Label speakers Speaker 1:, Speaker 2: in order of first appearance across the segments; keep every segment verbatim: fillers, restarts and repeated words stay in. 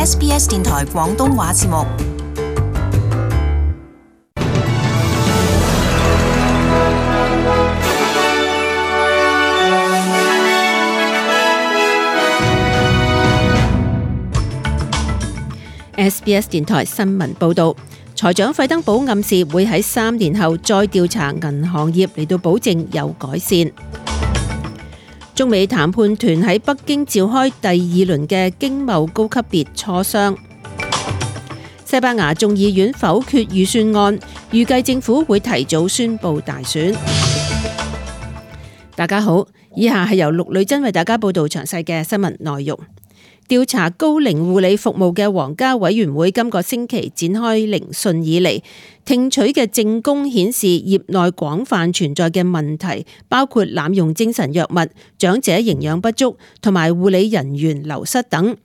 Speaker 1: S B S 電台廣東話節目。
Speaker 2: S B S 電台新聞報導，財長費登堡暗示會喺三年後再調查銀行業嚟到保證有改善。中美談判團喺北京召開第二輪嘅經貿高級別磋商。西班牙眾議院否決預算案，預計政府會提早宣布大選。大家好，以下係由陸女真為大家報道詳細嘅新聞內容。調查高齡護理服務嘅皇家委員會今個星期展開聆訊以嚟，聽取嘅證供顯示業內廣泛存在嘅問題，包括濫用精神藥物、長者營養不足同埋護理人員流失等。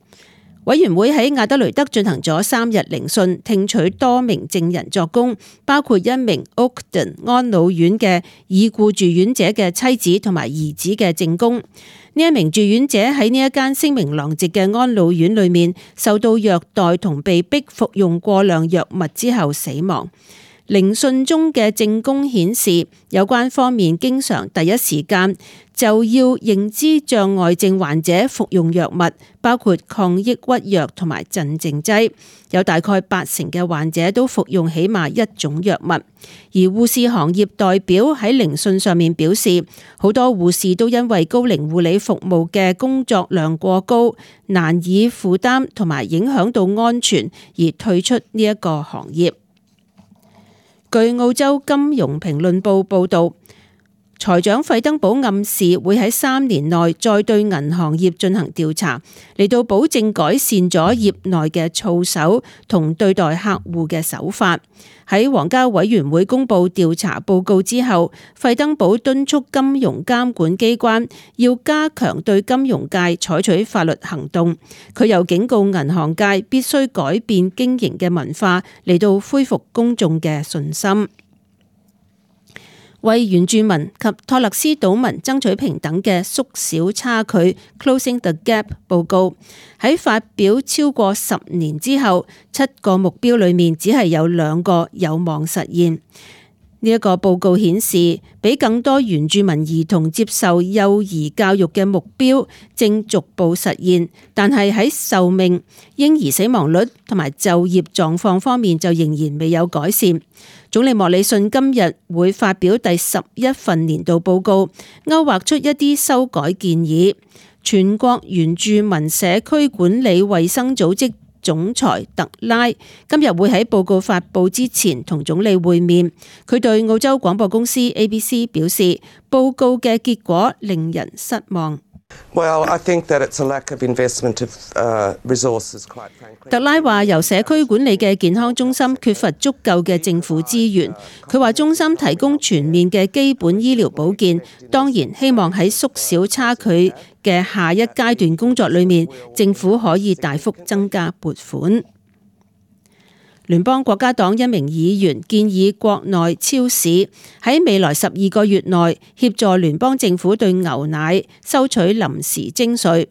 Speaker 2: 委員會喺亞德雷德進行咗三日聆訊，聽取多名證人作供，包括一名 Oakden 安老院嘅已故住院者嘅妻子同埋兒子嘅證供。呢一名住院者喺呢一間聲名狼藉嘅安老院裏面受到虐待同被逼服用過量藥物之後死亡。聆訊中嘅證供顯示，有關方面經常第一時間就要認知障礙症患者服用藥物，包括抗抑鬱藥同埋鎮靜劑。有大概八成嘅患者都服用起碼一種藥物。而護士行業代表喺聆訊上面表示，好多護士都因為高齡護理服務嘅工作量過高，難以負擔同埋影響到安全而退出呢一個行業。據澳洲金融評論報報導，財長費登堡暗示會喺三年內再對銀行業進行調查，嚟到保證改善咗業內嘅操守同對待客戶嘅手法。喺皇家委員會公布調查報告之後，費登堡敦促金融監管機關要加強對金融界採取法律行動。佢又警告銀行界必須改變經營嘅文化，嚟到恢復公眾嘅信心。為原住民及托勒斯島民爭取平等嘅縮小差距 Closing the Gap 報告喺發表超過十年之後，七個目標裏面只係有兩個有望實現。呢一個報告顯示，俾更多原住民兒童接受幼兒教育嘅目標正逐步實現，但係喺壽命、嬰兒死亡率同埋就業狀況方面就仍然未有改善。總理莫里遜今日會發表第十一份年度報告，勾畫出一啲修改建議。全國原住民社區管理衛生組織總裁特拉今日會喺報告發佈之前同總理會面。佢對澳洲廣播公司 A B C 表示，報告嘅結果令人失望。
Speaker 3: Well, I think that it's a lack of investment of uh, resources, quite frankly.
Speaker 2: 特拉話由社區管理嘅健康中心缺乏足夠嘅政府資源。佢話中心提供全面嘅基本醫療保健，當然希望喺縮小差距嘅下一階段工作裏面，政府可以大幅增加撥款。聯邦國家黨一名議員建議國內超市喺未來十二個月內協助聯邦政府對牛奶收取臨時徵稅。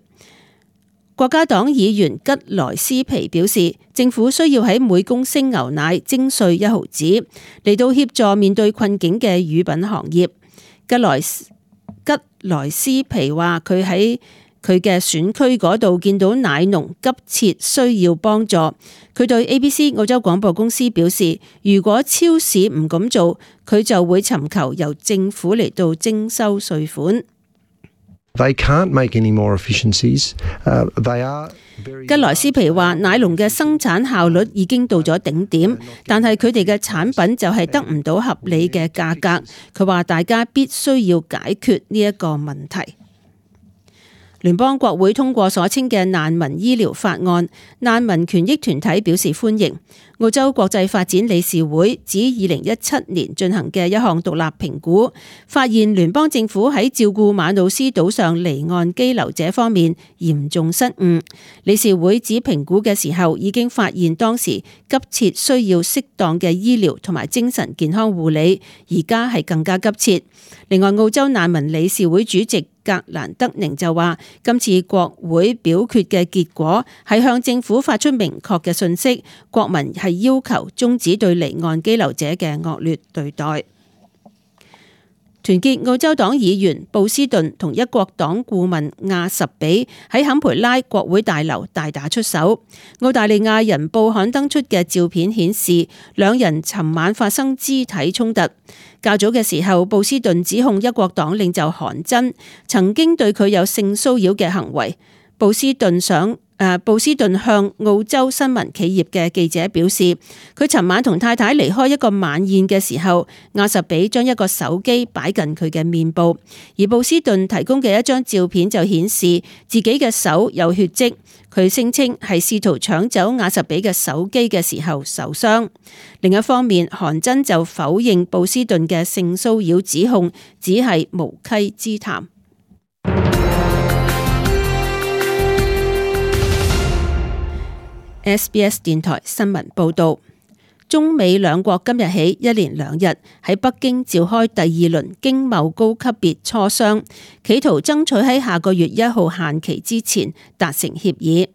Speaker 2: 國家黨議員吉萊斯皮表示，政府需要喺每公升牛奶徵稅一毫子，嚟到協助面對困境嘅乳品行業。吉萊吉萊斯皮話，佢喺佢嘅選區嗰度見到奶農急切需要幫助。佢對 A B C 澳洲廣播公司表示，如果超市唔咁做，佢就會尋求由政府嚟到徵收稅款。
Speaker 4: They can't make any more efficiencies. Uh, they are very...
Speaker 2: 吉萊斯皮話，奶農嘅生產效率已經到咗頂點，但係佢哋嘅產品就係得唔到合理嘅價格。佢話大家必須要解決呢一個問題。聯邦國會通過所稱嘅難民醫療法案，難民權益團體表示歡迎。澳洲國際發展理事會指二零一七年進行嘅一項獨立評估，發現聯邦政府喺照顧馬努斯島上離岸羈留者方面嚴重失誤。理事會指評估嘅時候已經發現當時急切需要適當嘅醫療同埋精神健康護理，而家係更加急切。另外，澳洲難民理事會主席格蘭德寧就話，今次國會表決嘅結果係向政府發出明確嘅訊息，國民係要求終止對離岸羈留者嘅惡劣對待。團結澳洲黨議員布斯頓同一國黨顧問亞什比喺坎培拉國會大樓大打出手。澳大利亞人報刊登出嘅照片顯示，兩人尋晚發生肢體衝突。較早嘅時候，布斯頓指控一國黨領袖韓真曾經對佢有性騷擾嘅行為。布斯頓想誒，布斯頓向澳洲新聞企業嘅記者表示，佢尋晚同太太離開一個晚宴嘅時候，亞什比將一個手機擺近佢嘅面部，而布斯頓提供嘅一張照片就顯示自己嘅手有血跡。佢聲稱係試圖搶走亞什比嘅手機嘅時候受傷。另一方面，韓真就否認布斯頓嘅性騷擾指控，只係無稽之談。S B S 電台新聞報道，中美兩國今日起一連兩日喺北京召開第二輪經貿高級別磋商，企圖爭取喺下個月一號限期之前達成協議。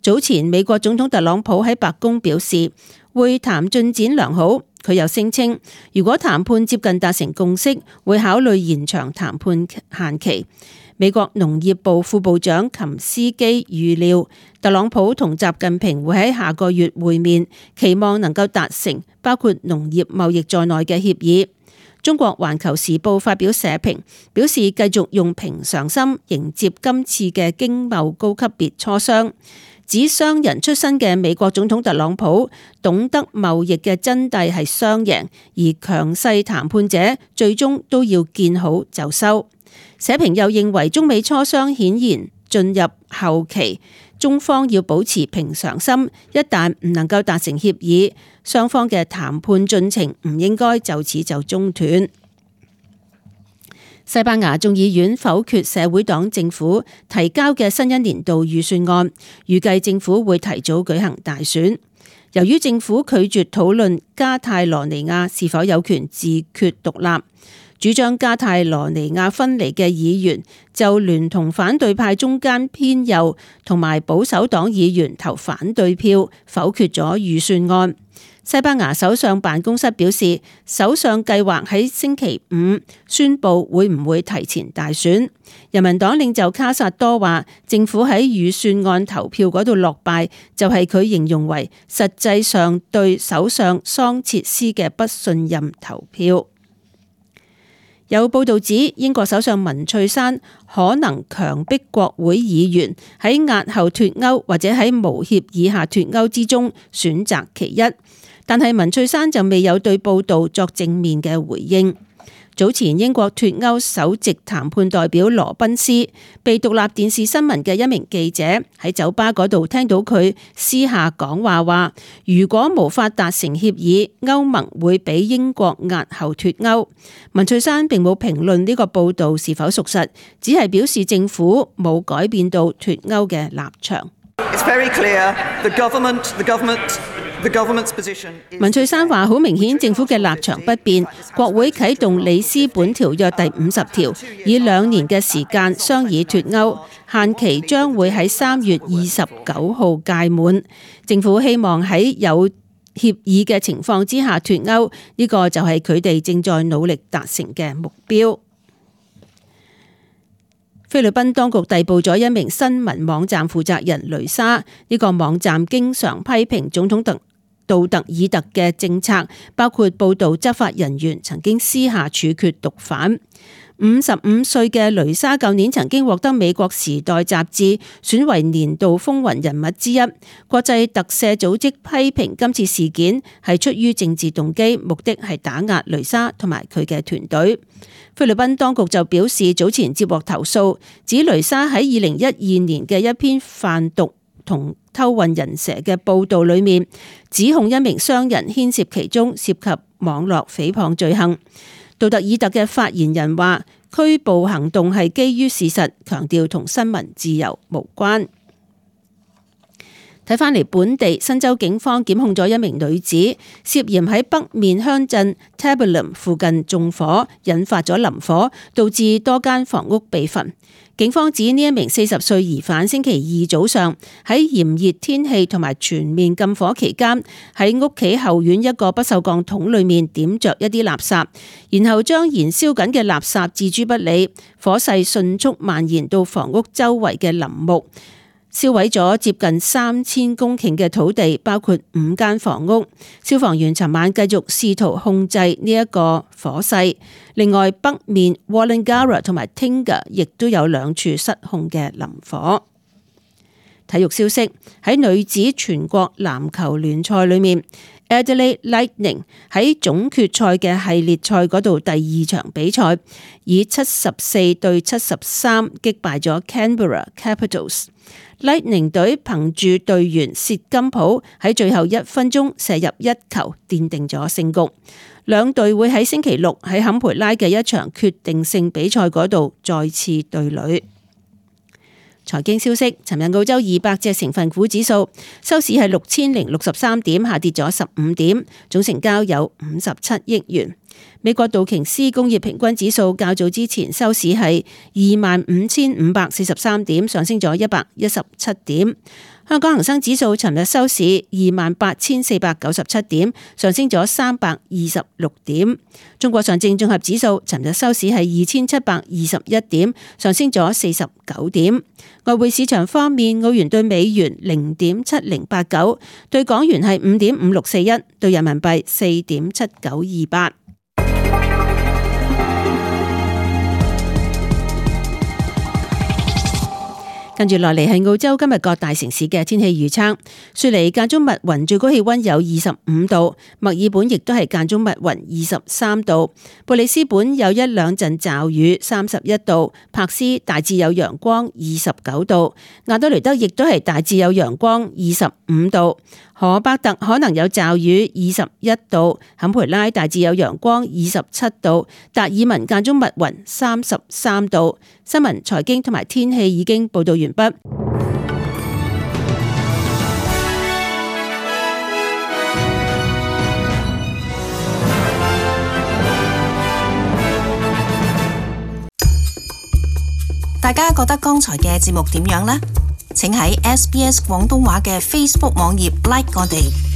Speaker 2: 早前美國總統特朗普喺白宮表示，會談進展良好。佢又聲稱，如果談判接近達成共識，會考慮延長談判限期。美國農業部副部長琴斯基預料，特朗普同習近平會喺下個月會面，期望能夠達成包括農業貿易在內嘅協議。中國環球時報發表社評，表示繼續用平常心迎接今次嘅經貿高級別磋商。指商人出身嘅美國總統特朗普懂得貿易嘅真諦係雙贏，而強勢談判者最終都要見好就收。社評又認為，中美磋商顯然進入後期，中方要保持平常心，一旦唔能夠達成協議，雙方嘅談判進程唔應該就此就中斷。西班牙眾議院否決社會黨政府提交嘅新一年度預算案，預計政府會提早舉行大選。由於政府拒絕討論加泰羅尼亞是否有權自決獨立，主張加泰羅尼亞分離嘅議員就聯同反對派中間偏右同埋保守黨議員投反對票，否決咗預算案。西班牙首相辦公室表示，首相計劃喺星期五宣布會唔會提前大選。人民黨領袖卡薩多話，政府喺預算案投票嗰度落敗，就係佢形容為實際上對首相桑切斯嘅不信任投票。有報道指，英國首相文翠珊可能強迫國會議員喺押後脫歐或者喺無協議下脫歐之中選擇其一，但係文翠珊就未有對報道作正面嘅回應。早前英國脫歐首席談判代表羅賓斯被獨立電視新聞嘅一名記者喺酒吧嗰度聽到佢私下講話，話如果無法達成協議，歐盟會俾英國押後脫歐。文翠珊並冇評論呢個報道是否屬實，只係表示政府冇改變到脫歐嘅立場。
Speaker 5: It's very clear, the government, the government
Speaker 2: 文翠珊話：好明顯，政府嘅立場不變。國會啟動里斯本條約第五十條，以兩年嘅時間商議脫歐，限期將會喺三月二十九號屆滿。政府希望喺有協議嘅情況之下脫歐，呢個就係佢哋正在努力達成嘅目標。菲律賓當局逮捕咗一名新聞網站負責人雷莎，呢個網站經常批評總統特杜特爾特嘅政策，包括報道執法人員曾經私下處決毒販。五十五歲嘅雷莎舊年曾經獲得美國時代雜誌選為年度風雲人物之一。國際特赦組織批評今次事件係出於政治動機，目的係打壓雷莎同埋佢嘅團隊。菲律賓當局就表示，早前接獲投訴，指雷莎喺二零一二年嘅一篇販毒同偷運人蛇嘅報道裏面，指控一名商人牽涉其中，涉及網絡誹謗罪行。杜特爾特嘅發言人話，拘捕行動係基於事實，強調同新聞自由無關。睇返嚟本地，新州警方檢控咗一名女子，涉嫌喺北面鄉鎮 Tabulam 附近縱火，引發咗林火，導致多間房屋被焚。警方指呢一名四十歲疑犯星期二早上喺炎熱天氣同埋全面禁火期間，喺屋企後院一個不鏽鋼桶裏面點着一啲垃圾，然後將燃燒緊嘅垃圾置諸不理，火勢迅速蔓延到房屋周圍嘅林木，燒毀咗接近三千公頃嘅土地，包括五間房屋。消防員尋晚繼續試圖控制呢一個火勢。另外，北面 Woollongabba 同埋 Tingha 亦都有兩處失控嘅林火。體育消息，喺女子全國籃球聯賽裏面， Adelaide Lightning 喺總決賽嘅系列賽嗰度第二場比賽，以七十四對七十三擊敗咗 Canberra Capitals。Lightning 隊憑住隊員薛金普喺最後一分鐘射入一球，奠定咗勝局。兩隊會喺星期六喺坎培拉嘅一場決定性比賽嗰度再次對壘。財經消息，尋日澳洲二百隻成分股指數收市係六千零六十三點，下跌咗十五點，總成交有五十七億元。美國道瓊斯工業平均指數較早之前收市係二萬五千五百四十三點，上升咗一百一十七點。香港恒生指數尋日收市二萬八千四百九十七點，上升咗三百二十六點。中國上證綜合指數尋日收市係二千七百二十一點，上升咗四十九點。外匯市場方面，澳元對美元零點七零八九，對港元係五點五六四一，對人民幣四點七九二八。跟住落嚟係澳洲今日各大城市嘅天氣預測。雪梨間中密雲，最高氣溫有二十五度；墨爾本亦都係間中密雲，二十三度；布里斯本有一兩陣驟雨，三十一度；柏斯大致有陽光，二十九度；亞德雷德亦都係大致有陽光，二十五度；荷伯特可能有驟雨，二十一度；坎培拉大致有陽光，二十七度；達爾文間中密雲，三十三度。新聞、財經同埋天氣已經報道完畢。
Speaker 1: 大家覺得剛才嘅節目點樣呢？請喺 S B S 廣東話嘅 Facebook 網頁 like 我哋。